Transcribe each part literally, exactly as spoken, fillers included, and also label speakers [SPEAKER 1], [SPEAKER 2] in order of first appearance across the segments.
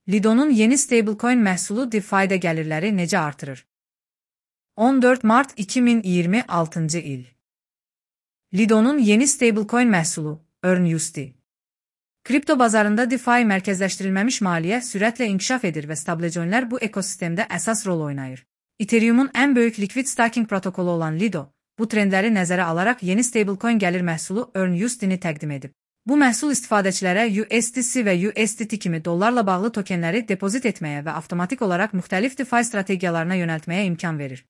[SPEAKER 1] Lido'nun yeni stablecoin məhsulu DeFi'də gəlirləri necə artırır? on dörd mart iki min iyirmi altıncı il. Lido'nun yeni stablecoin məhsulu, EarnUSD. Kripto bazarında DeFi mərkəzləşdirilməmiş maliyyə sürətlə inkişaf edir və stablecoinlər bu ekosistemdə əsas rol oynayır. Ethereum'un ən böyük likvid staking protokolu olan Lido, bu trendləri nəzərə alaraq yeni stablecoin gəlir məhsulu EarnUSD-ni təqdim edib. Bu məhsul istifadəçilərə U S D C və U S D T kimi dollarla bağlı tokenləri depozit etməyə və avtomatik olaraq müxtəlif DeFi strategiyalarına yönəltməyə imkan verir.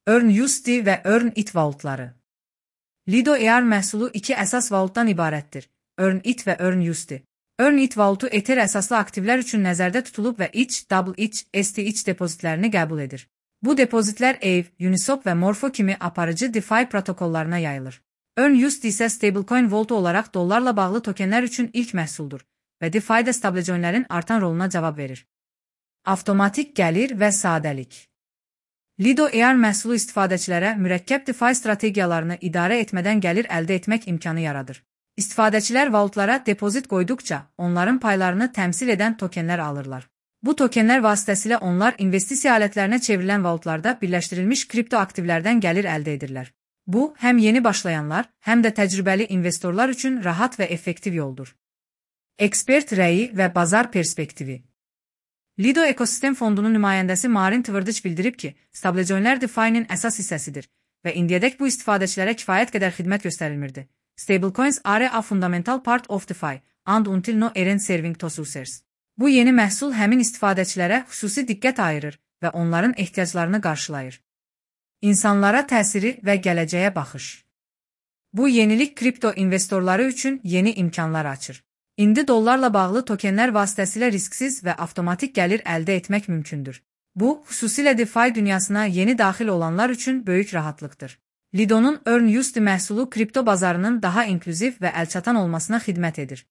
[SPEAKER 1] EarnUSD və EarnIT vaultları. Lido E R məhsulu iki əsas vaultdan ibarətdir: EarnIT və EarnUSD. EarnIT vaultu Ether əsaslı aktivlər üçün nəzərdə tutulub və E T H, Double E T H, S T H depozitlərini qəbul edir. Bu depozitlər A V, Uniswap və Morpho kimi aparıcı DeFi protokollarına yayılır. EarnUSD isə stablecoin vaultu olaraq dollarla bağlı tokenlər üçün ilk məhsuldur və DeFi'də stablecoinlərin artan roluna cavab verir. Avtomatik gəlir və sadəlik. Lido E R məhsulu istifadəçilərə mürəkkəb DeFi strategiyalarını idarə etmədən gəlir əldə etmək imkanı yaradır. İstifadəçilər vaultlara depozit qoyduqca, onların paylarını təmsil edən tokenlər alırlar. Bu tokenlər vasitəsilə onlar investisiya alətlərinə çevrilən vaultlarda birləşdirilmiş kripto aktivlərdən gəlir əldə edirlər. Bu, həm yeni başlayanlar, həm də təcrübəli investorlar üçün rahat və effektiv yoldur. Ekspert rəyi və bazar perspektivi. Lido Ekosistem Fondunun nümayəndəsi Marin Tvrdich bildirib ki, stablecoinlər DeFi'nin əsas hissəsidir və indiyədək bu istifadəçilərə kifayət qədər xidmət göstərilmirdi. Stablecoins are a fundamental part of DeFi, and until now aren't serving to users. Bu yeni məhsul həmin istifadəçilərə xüsusi diqqət ayırır və onların ehtiyaclarını qarşılayır. İnsanlara təsiri və gələcəyə baxış. Bu yenilik kripto investorları üçün yeni imkanlar açır. İndi dollarla bağlı tokenlər vasitəsilə risksiz və avtomatik gəlir əldə etmək mümkündür. Bu, xüsusilə DeFi dünyasına yeni daxil olanlar üçün böyük rahatlıqdır. Lido'nun EarnUSD məhsulu kripto bazarının daha inklüziv və əlçatan olmasına xidmət edir.